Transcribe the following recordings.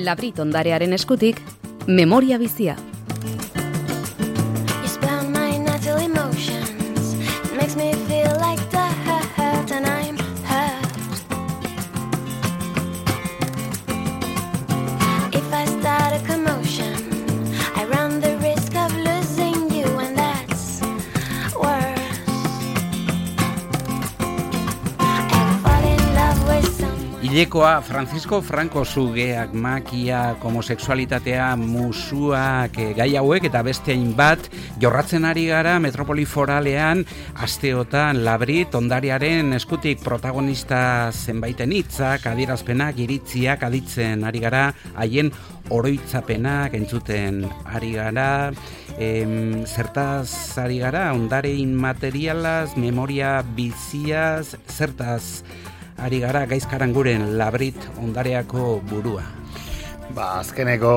Labrit ondarearen eskutik, memoria bizia. Hilekoa Francisco Franco zugeak, makia, homosexualitatea, musuak, gai hauek eta beste hainbat jorratzen ari gara metropoli foralean asteotan Labrit ondariaren eskutik protagonista zenbaiten hitzak, adierazpenak, iritziak aditzen ari gara, haien oroitzapenak entzuten ari gara. Zertaz ari gara, ondare inmaterialaz, memoria biziaz, zertaz ari gara Gaizkaranguren Labrit ondareako burua. Azkeneko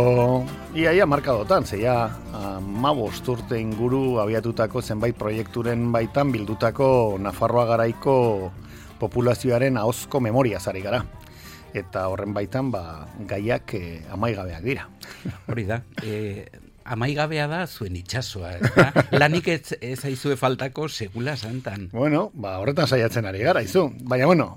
iaia markadotan, zeia 15 urte inguru abiatutako zenbait proiekturen baitan bildutako Nafarroa garaiko populazioaren ahozko memoriaz ari gara. Eta horren baitan gaiak amaigabeak dira. Hori da. Amaigabea da zuen itxasoa, ezta? Lanik ez aizue faltako segula santan. Horretan saiatzen ari gara, izu. Baina,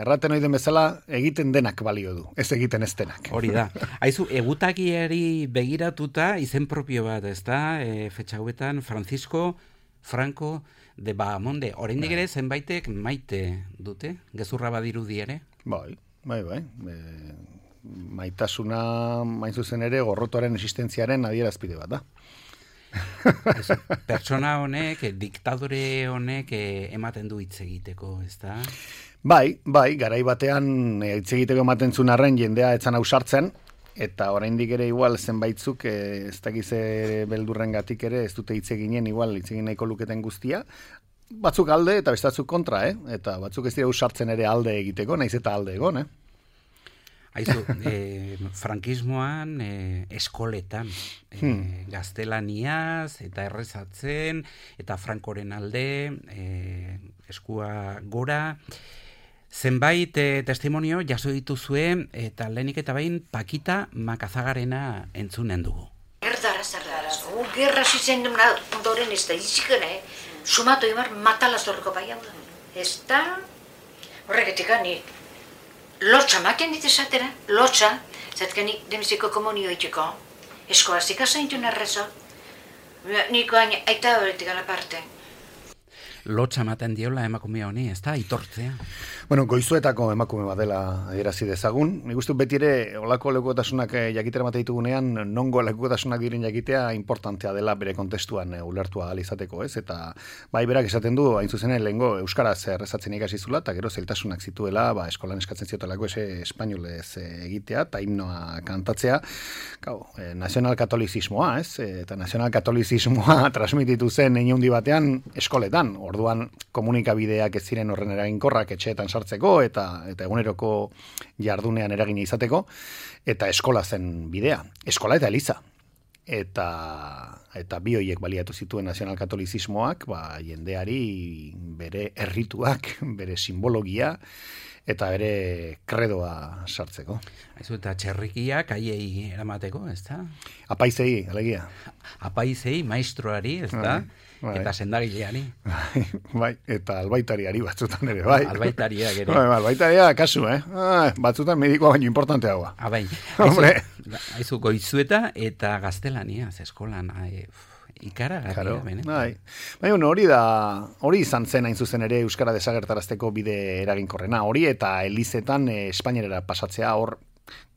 erraten oiden bezala, egiten denak balio du, ez egiten ez denak. Hori da. Aizu, egutakiari begiratuta izen propio bat, ezta? Fetxa hauetan, Francisco Franco de Bahamonde. Oraindik ere zenbaitek maite dute, gezurra badirudi ere? Bai. Maitasuna, main zuzen ere, gorrotoaren existentziaren adierazpide bat da. Pertsona honek, diktadore honek ematen du hitz egiteko, ez da? Bai, garai batean hitz egiteko ematen zuen arren jendea etzan ausartzen, eta oraindik ere igual zenbaitzuk ez dakize beldurrengatik ere ez dute hitz eginen igual hitz egin nahiko luketen guztia. Batzuk alde eta bestatzuk kontra, eta batzuk ez dira ausartzen ere alde egiteko, naiz eta alde egon, Aizu, frankismoan eskoletan gaztelaniaz eta errezatzen eta Frankoren alde eskua gora. Zenbait testimonio jaso dituzue eta lehenik eta behin Pakita Makazagarena entzunen dugu. Erdara, gerra zitzen ondoren ez da izikena, sumatu imar matalazorko bai hau da. Ez da, horregetik ani, lotxa maken dituzatera, lotxa, zatkenik demiziko komunio itxeko, eskoazika zaintun arrezo, niko aita horretik aparte. Lotxa maten diola emakume honi, ez da, itortzea. Goizuetako emakume bat dela adierazi dezagun. Nik uste beti ere olako lekukotasunak jakitera mate ditugunean, nongo lekukotasunak diren jakitea importantea dela bere kontestuan ulertua ahal izateko, ez? Eta bai berak esaten du, hain zuzenen lehengo euskaraz errezatzen ikasi zula, eta gero zailtasunak zituela, eskolan eskatzen ziotelako espainolez egitea, eta himnoa kantatzea. Nazionalkatolizismoa, ez? Eta nazionalkatolizismoa transmititu zen heinundi batean eskoletan. Orduan komunikabideak ez ziren horren eraginkorrak etxeetan sartzeko eta eguneroko jardunean eragina izateko, eta eskola zen bidea. Eskola eta eliza. Eta bi horiek baliatu zituen nazionalkatolizismoak, jendeari bere errituak, bere simbologia, eta bere kredoa sartzeko. Aizu, eta txerrikiak aiei eramateko, ez da? Apaizei, alegia. Apaizei, maestroari, ez da? Bai. Eta sendagileari. Bai, eta albaitariari batzutan ere, bai. Albaitariak ere. Albaitaria kasu, batzutan medikoa baino importanteagoa. Bai. Aizu, goizueta eta gaztelania, eskolan, ikaragarria da bene. Bai, hori izan zen hain zuzen ere euskara desagertarazteko bide eraginkorrena. Hori eta elizetan Espainiara pasatzea hor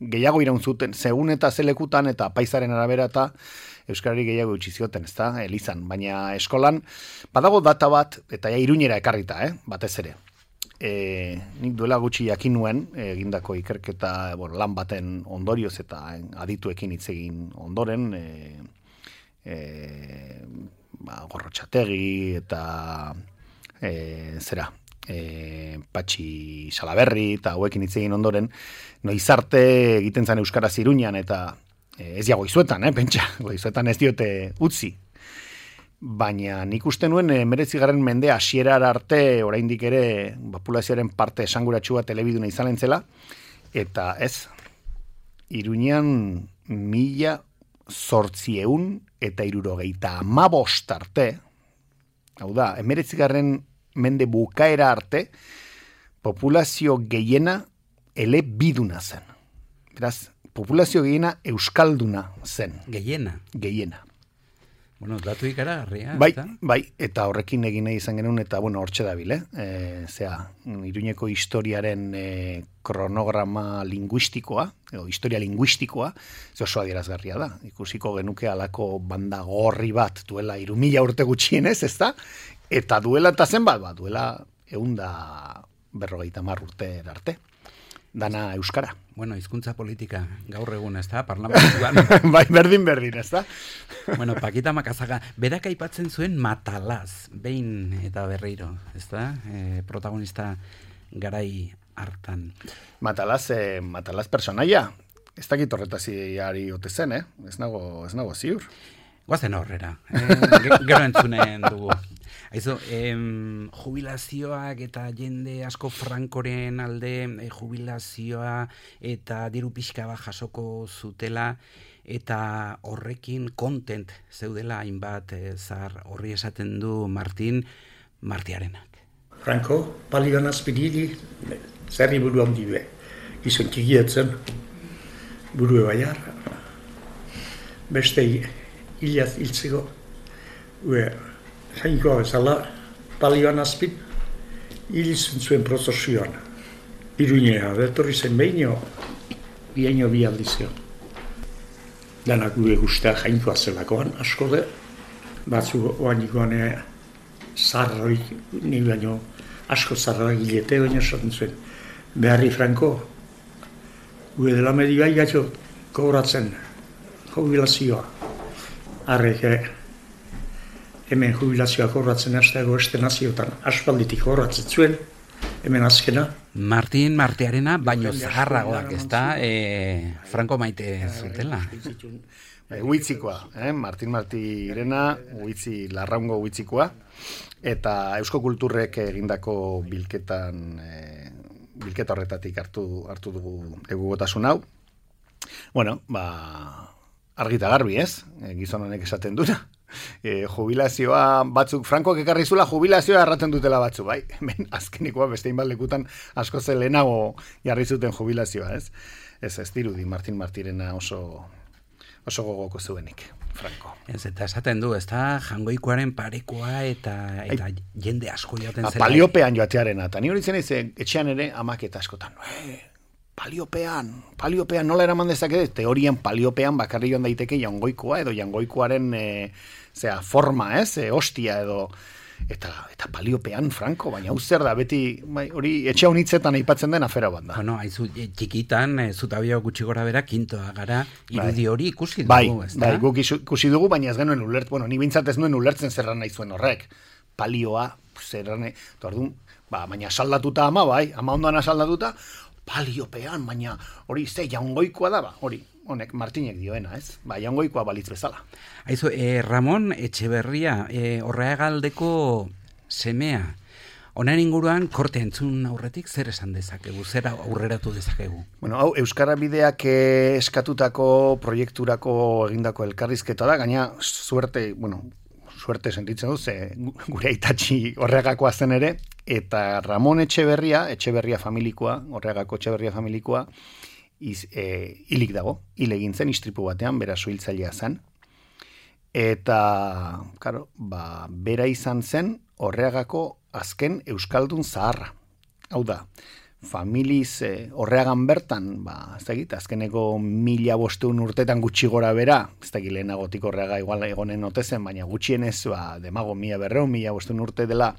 gehiago iraun zuten, segun eta zelekutan eta paisaren arabera eta euskarari gehiago utzi zioten, ezta, elizan, baina eskolan badago data bat eta Iruñera ekarrita, batez ere. Nik duela gutxi jakin nuen egindako ikerketa lan baten ondorioz eta adituekin hitz egin ondoren, Gorrotxategi eta Patxi Salaberri eta hauekin hitz egin ondoren, noiz arte egiten zen euskaraz Iruñan eta ez ja goizuetan, pentsa, goizuetan ez diote utzi. Baina nik uste nuen 19. mende hasierara arte oraindik ere populazioaren parte esanguratsua telebiduna izanen zela, eta ez. Iruñean 1875 arte, hau da, 19. Mende bukaera arte, populazio gehiena elebiduna zen. Beraz, populazio gehiena euskalduna zen. Gehiena. Bueno, datu ikaragarria. Bai, eta horrekin egin nahi izan genuen, eta bueno, hortxe dabil, Iruñeko historiaren kronograma linguistikoa, edo historia linguistikoa, ze oso adierazgarria da. Ikusiko genuke alako banda gorri bat duela 3000 urte gutxienez, ezta? Eta duela eta zenbat, duela 150 urte arte. Dana euskara. Bueno, hizkuntza politika gaur egun, ezta? Parlamentuan. Bai, berdin, ezta? Bueno, Pakita Makazaga, berak aipatzen zuen Matalaz, behin eta berriro, ezta? Protagonista garai hartan. Matalaz personaia. Ez dakit horretaziari ote zen, Ez nago ziur. Guazen horrera. Gero entzunen dugu. Aizu, jubilazioak eta jende asko Frankoren alde jubilazioa eta diru pixka bat jasoko zutela eta horrekin kontent zeudela hainbat zar horri esaten du Martiarenak. Franco, palioan azpidili, zerri buru handi be. Gizon kigietzen, buru ebaiar. Beste hilaz hiltzeko, jainkoa bezala, palioan azpid, hilizun zuen prozesioan. Iruñea, betorri zen behino bi aldizio. Danak gure guztia jainkoa zelakoan, asko de, batzu oanikoan zarroik, ni baino asko zarroak gilete, baina esaten zuen. Beharri Franco, gure dela medioa igatxo kobratzen jubilazioa. Arrek, hemen jubilazioa kobratzen hasteago este naziotan aspalditik kobratzen zuen, hemen azkena. Martiarena baino zaharragoak, ezta? Franco maite zutela. Huitzikoa, Martirena, huitzi, larraungo huitzikoa, eta Eusko Kulturrek egindako bilketa horretatik hartu dugu egugotasun hau. Bueno, argita garbi, gizon honek esaten duna. Jubilazioa batzuk, Frankoak ekarri zula jubilazioa erraten dutela batzu, bai? Azkenikoa bestein baldekutan asko lehenago jarri zuten jubilazioa, ez? Ez dirudi Martirena oso gogoko zuenik, Franco. Ez, eta esaten du, ez da, jangoikoaren parekoa eta jende asko joaten zela. Paliopean joatearena, eta ni hori zen etxean ere amak eta askotan. Paliopean, nola eraman dezake, teorian paliopean bakarri joan daiteke jangoikoa edo jangoikoaren forma, hostia edo, eta paliopean, Franco, baina hau zer da, beti, hori etxe honitzetan aipatzen den afera bat da. Bueno, haizu, txikitan, zutabio gutxi gora bera, kintoa gara, irudi hori ikusi dugu, ez da? Bai, guk ikusi dugu, baina ez genuen ulertzen, ni bintzat ez nuen ulertzen zerran nahi zuen horrek. Palioa, zerran, baina saldatuta ama, ama ondoan asaldatuta, paliopean, baina hori jaungoikoa da, honek Martinek dioena, ez? Jaungoikoa balitz bezala. Aizu, Ramon Etxeberria, Orreagaldeko semea, honen inguruan korte entzun aurretik zer esan dezakegu, zer aurreratu dezakegu? Bueno, hau, Euskara Bideak eskatutako proiekturako egindako elkarrizketa da, gaina suerte sentitzen duz, gure aitatxi Orreagakoa zen ere, eta Ramon Etxeberria familikoa, Orreagako Etxeberria familikoa, hilik dago, hil egin zen, istripu batean, bera suhiltzailea zen, eta, karo, bera izan zen Orreagako azken euskaldun zaharra. Hau da, familiz Orreagan bertan, ez dakit, azkeneko 1500 urtetan gutxi gora bera, ez dakit lehenagotik Orreaga igual egonen otezen, baina gutxienez, demago 1500 urte dela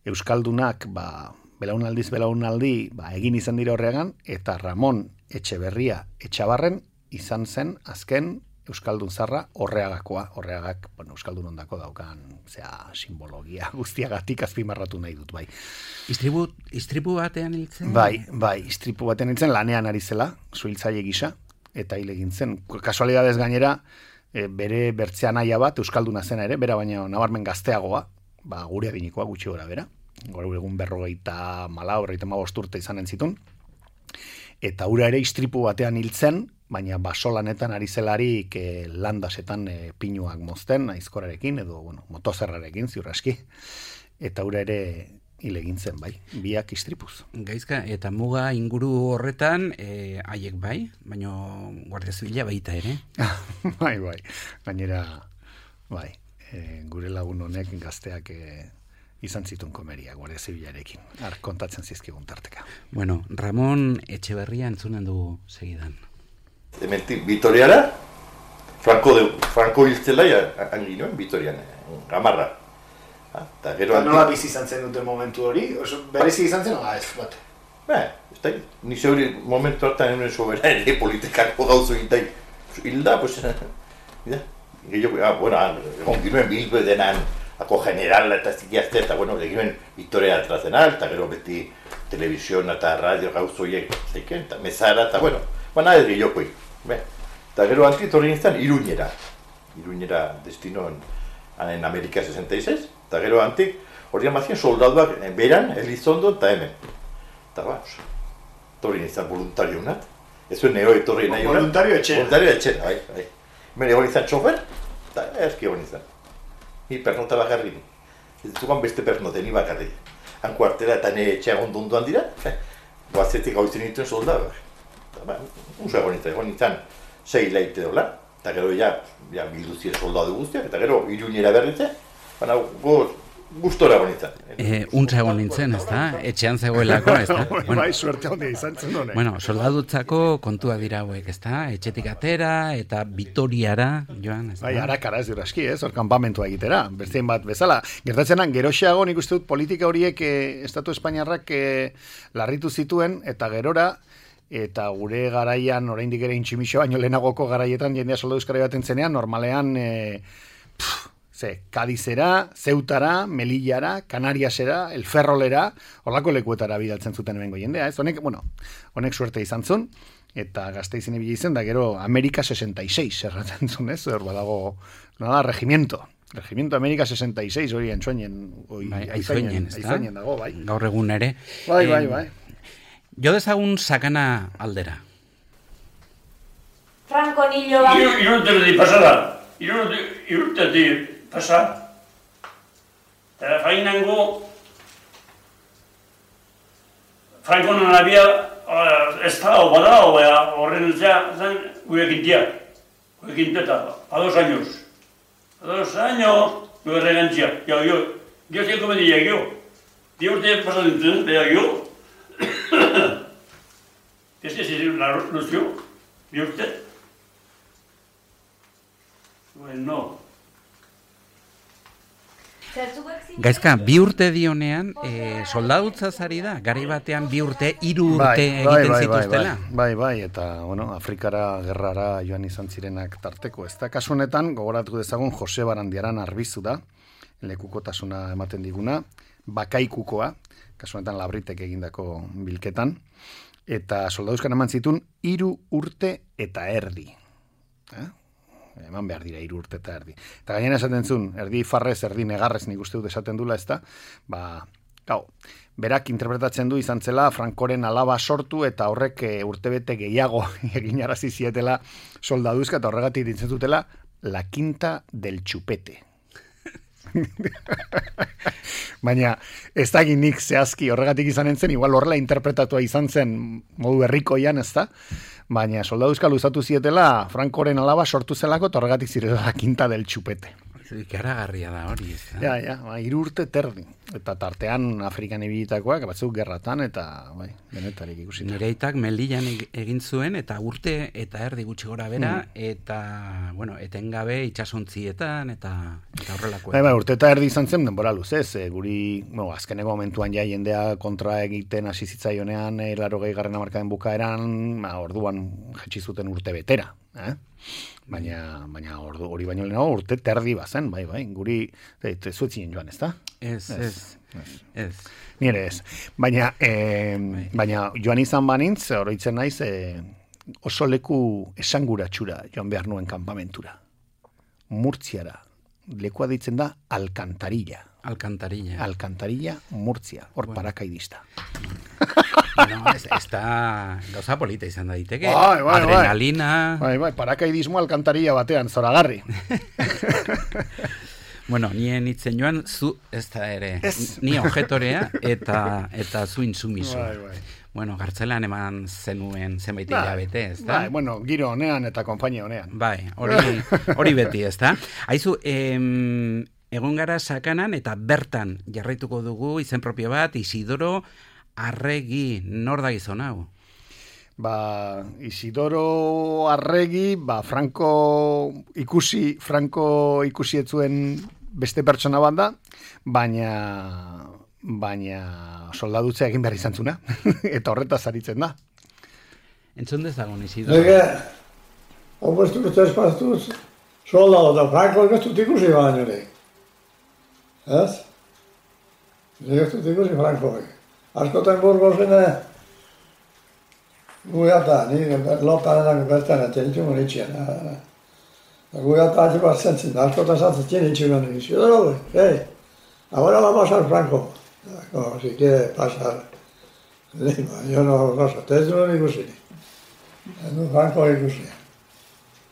euskaldunak, belaunaldi, egin izan dira Orreagan, eta Ramon Etxeberria Etxabarren izan zen azken euskaldun zarra Orreagakoa. Orreagak, euskaldun ondako daukan, simbologia guztiagatik azpimarratu nahi dut, bai. Istripu batean hiltzen? Bai, istripu batean hiltzen, lanean ari zela, suhiltzaile gisa, eta hil egin zen. Kasualidadez gainera, bere bertzean aia bat, euskalduna zena ere, bera baina nabarmen gazteagoa, gure adinikoa gutxi gora bera, gaur egun 54 urte izanen zitun, eta ura ere istripu batean hiltzen, baina basolanetan ari zelarik landasetan pinuak mozten, aizkorarekin, edo, bueno, motozerrarekin, ziur aski, eta ura ere hil egin zen, bai, biak istripuz. Gaizka, eta muga inguru horretan, haiek bai, baina Guardia Zibila baita ere. Bai, gainera, bai, gure lagun honek gazteak izan zituen komeria Guardia Zibilarekin. Kontatzen zizkigun tarteka. Bueno, Ramon Etxeberria entzunen du segidan. Hementik Vitoriara, Franco hiltzela, anginoen Vitorian, Gamarra. Eta gero nola bizi izan zen duten momentu hori? Berezi izan zen, ez bat? Ez da, ni zeuri momentu hartan egun sobera ere politikako gauzu egitai. Hilda, pues, egon ginuen bilbe denan, ako generala eta zikiazte, eta bueno, eginen Victoria Tradicional, eta gero beti telebizion eta radio gauzoiek zeiken, eta mezara, eta bueno, baina ez gehiokoi. Eta gero antitorri nintzen Iruñera destinoen en Amerika 66, eta gero antik hori amazien soldaduak beran, Elizondo eta hemen. Eta torri nintzen voluntario unat, ez zuen neo etorri nahi unat. Voluntario etxera. Voluntario etxera, bai. Hemen egon nintzen txofer, eta eski egon nintzen. Ni pernota bakarri ni. Ez zugan beste pernote, ni bakarri. Han kuartera eta ne etxea gondondoan dira, goazetik hau izan nituen soldaduak. Unzo egon nintzen 6 laite dola, eta gero ja bilduzien soldadu guztiak, eta gero Iruñera berritze, baina gustora egon nintzen. Untza egon nintzen, ez da? Etxean zegoelako, ez da? Bai, suerte handia izan zen honek. Bueno, soldadutzako kontua dira hauek, ez da? Etxetik atera eta Vitoriara, joan, ez da? Bai, harakara ez dira eski, hor kanpamentua egitera, bestein bat bezala. Gertatzenan, geroxeago nik uste dut politika horiek Estatu Espainiarrak larritu zituen, eta gerora, eta gure garaian, oraindik ere intximixo baino lehenagoko garaietan jendea soldadu euskara baten zenean, normalean Kadizera, Zeutara, Melillara, Canariasera, El Ferrolera, horlako lekuetara bidaltzen zuten hemengo jendea, ez? Honek suerte izan zuen, eta Gasteizin ibili zen, da gero Amerika 66 erratzen zuen, ez? Hor badago, regimiento Amerika 66 hori entzuenen, aizainen dago, bai. Gaur egun ere. Bai. Jo dezagun sakana aldera. Franco nilo bat. Irurtetik pasada. Irurtetik pasada. Eta fainango Franco non había estado badao horren zen gurekin dia. Gurekin teta, a 2 años. A 2 años, no regantzia. Yo sé cómo diría yo. Dios te pasa dentro, vea yo. Este es la ilusión de usted. Bueno. Gaizka, 2 urte dionean, soldadutzaz ari da, garai batean 2 urte, 3 urte egiten zituztela. Bai, eta, Afrikara, gerrara joan izan zirenak tarteko. Ez da, kasu honetan, gogoratu dezagun, Jose Barandiaran Arbizu da, lekukotasuna ematen diguna, bakaikukoa, kasu honetan Labritek egindako bilketan, eta soldaduzkan eman zituen 3 urte eta erdi. Eman behar dira 3 urte eta erdi. Eta gainera esaten zuen, erdi farrez, erdi negarrez nik uste dut esaten dula, ez da? Berak interpretatzen du izan zela Frankoren alaba sortu eta horrek urtebete gehiago eginarazi zietela soldaduzka eta horregatik ditzen dutela la quinta del chupete. Baina ez da nik zehazki horregatik izan entzen, igual horrela interpretatua izan zen modu herrikoian, ez da? Baina soldaduzka luzatu zietela Frankoren alaba sortu zelako eta horregatik zirela la quinta del chupete. Ikaragarria da hori, ez da? Ja, 3 urte terdi. Eta tartean Afrikan ibilitakoak, batzuk gerratan, eta denetarik ikusi. Nire aitak Melillan egin zuen, eta urte eta erdi gutxi gora bera, eta, etengabe itxasontzietan, eta horrelako. Urte eta erdi izan zen denbora luzez, guri, azkeneko momentuan ja jendea kontra egiten hasi zitzaionean, 80. hamarkadaren bukaeran, orduan jetxi zuten urte betera, Baina hori baino lehenago urte terdi bazen, bai, guri zuetzien joan, ez da? Ez. Nire ez. Baina joan izan banintz, oroitzen naiz, oso leku esanguratxura joan behar nuen kanpamentura. Murtziara. Lekua ditzen da Alkantarilla. Alkantarilla, Murtzia. Hor parakaidista. No, ez da gauza polita izan daiteke. Bai. Adrenalina. Bai, parakaidismo alkantaria batean, zoragarri. Bueno, nien itzen joan, zu ez da ere. Ni objetorea eta zu intsumiso. Bai. Bueno, gartzelan eman zenuen zenbait hilabete, ez da? Bai, bueno, giro honean eta konpainia honean. Bai, hori beti, ez da? Haizu, egon gara Sakanan eta bertan jarraituko dugu izen propio bat, Isidoro Arregi, nor da gizon hau? Isidoro Arregi, Franco ikusi etzuen beste pertsona bat da, baina soldadutzea egin behar izan zuna, eta horretaz aritzen da. Entzun dezagun, Isidoro? Opuestu ustez pastuz, soldado da Franco ez dut ikusi baino ere. Ez? Ez dut ikusi Franco. Askotan Burgosen guiata, ni lottanenak bertan etxenitzen monitxien. Guiata hasi bat zentzen, askotan zatzen itxuen monitxien. Ahora va a pasar Franco. Como si quiere pasar Lima. Yo no sé, ustedes no lo ikusi. No Franco ikusi.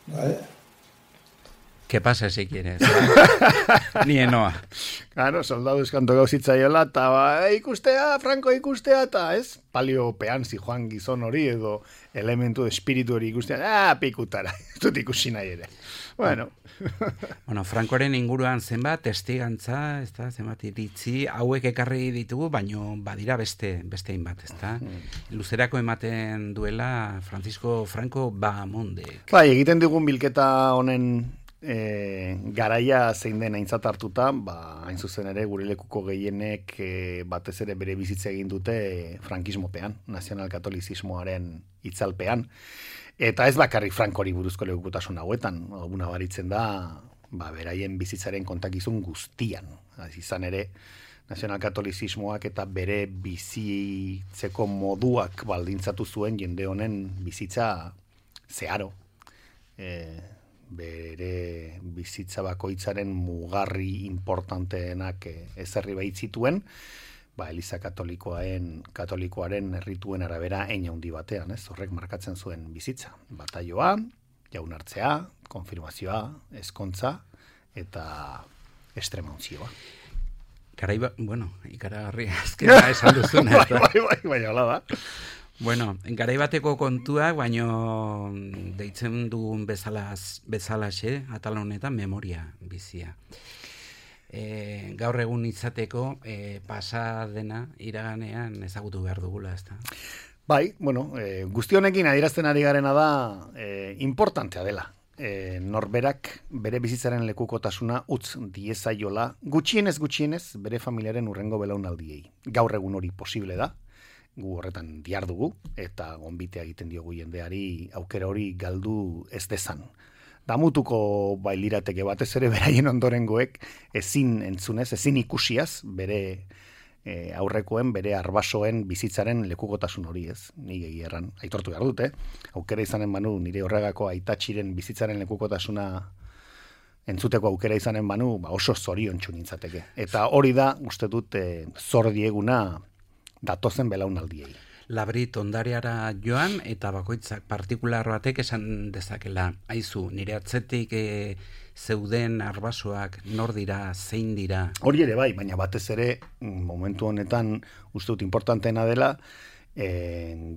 ¿Vale? Que pase si quieres. Ni enoa. Claro, soldadu eskanto gauzitzaiola, eta Franco ikustea, eta ez? Paliopean zijoan gizon hori edo elementu espiritu hori ikustea, pikutara, ez dut ikusi nahi ere. Bueno, Francoren inguruan zenbat testigantza, ez da, zenbat iritzi, hauek ekarri ditugu, baino badira beste hainbat, ez da? Luzerako ematen duela Francisco Franco Bahamondek. Bai, egiten digun bilketa honen garaia zein den aintzat hartuta, hain zuzen ere gure lekuko gehienek batez ere bere bizitza egin dute frankismopean, nazionalkatolizismoaren itzalpean, eta ez bakarrik Frankori buruzko lekukotasun hauetan, alguna baritzen da, beraien bizitzaren kontakizun guztian, izan ere nazionalkatolizismoak eta bere bizitzeko moduak baldintzatu zuen jende honen bizitza zeharo, bere bizitza bakoitzaren mugarri importanteenak ezarri baitzituen, Eliza katolikoaren errituen arabera hein handi batean, ez? Horrek markatzen zuen bizitza. Bataioa, jaunartzea, konfirmazioa, ezkontza eta estremontzioa. Ikaragarri azkena esan duzuna. Bai, hola da. Bueno, garaibateko kontuak, baino deitzen dugun bezalaxe, atal honetan memoria bizia. Gaur egun izateko pasa dena iraganean ezagutu behar dugula, ez da? Bai, guzti honekin adierazten ari garena da importantea dela. Norberak bere bizitzaren lekukotasuna utz diezaiola gutxienez bere familiaren urrengo belaunaldiei. Gaur egun hori posible da. Gu horretan diardugu, eta gonbitea egiten diogu jendeari aukera hori galdu ez dezan. Damutuko lirateke batez ere beraien ondorengoek ezin entzunez, ezin ikusiaz, bere aurrekoen, bere arbasoen bizitzaren lekukotasun hori ez. Nik egierran, aitortu behar dute, aukera izanen banu, nire horregako aitatxiren bizitzaren lekukotasuna entzuteko aukera izanen banu, oso zoriontsu nintzateke. Eta hori da, uste dut, zor dieguna datozen belaunaldiei. Labrit ondariara joan eta bakoitzak partikular batek esan dezakela. Aizu, nire atzetik zeuden arbasoak nor dira, zein dira? Hori ere bai, baina batez ere momentu honetan uste dut importanteena dela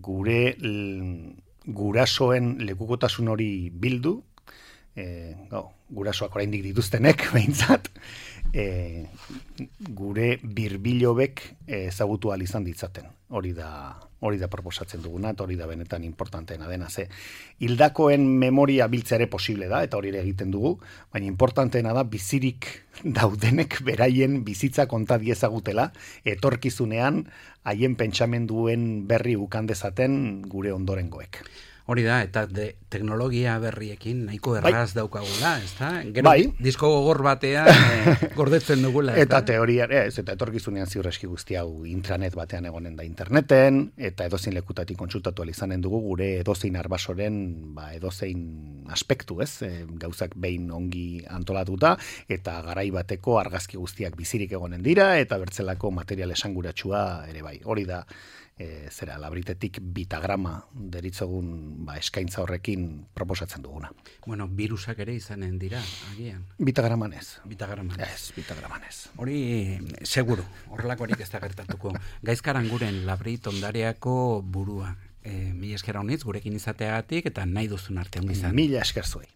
gure gurasoen lekukotasun hori bildu, gurasoak oraindik dituztenek behintzat, gure birbilobek ezagutu ahal izan ditzaten. Hori da proposatzen duguna, eta hori da benetan importanteena dena. Hildakoen memoria biltzea ere posible da, eta hori ere egiten dugu, baina importanteena da bizirik daudenek beraien bizitza konta diezagutela, etorkizunean haien pentsamenduen berri ukan dezaten gure ondorengoek. Hori da, eta teknologia berriekin nahiko erraz daukagula, ez da? Gero disko gogor batean gordetzen dugula. Eta teoria, eta etorkizunean ziurreski guzti hau intranet batean egonen da interneten, eta edozein lekutatik kontsultatu izanen dugu gure edozein arbasoren edozein aspektu, ez? Gauzak behin ongi antolatuta, eta garai bateko argazki guztiak bizirik egonen dira, eta bertzelako material esanguratsua ere bai. Hori da zera labritetik bitagrama deritzogun eskaintza horrekin proposatzen duguna. Bueno, virusak ere izanen dira, agian. Bitagraman ez. Bitagraman. Ez, bitagraman ez. Hori, seguru, horrelakorik ez da gertatuko. Gaizkaranguren labrit ondareako burua. Mila esker honitz, gurekin izateagatik, eta nahi duzun arte hon izan. Mila esker zuei.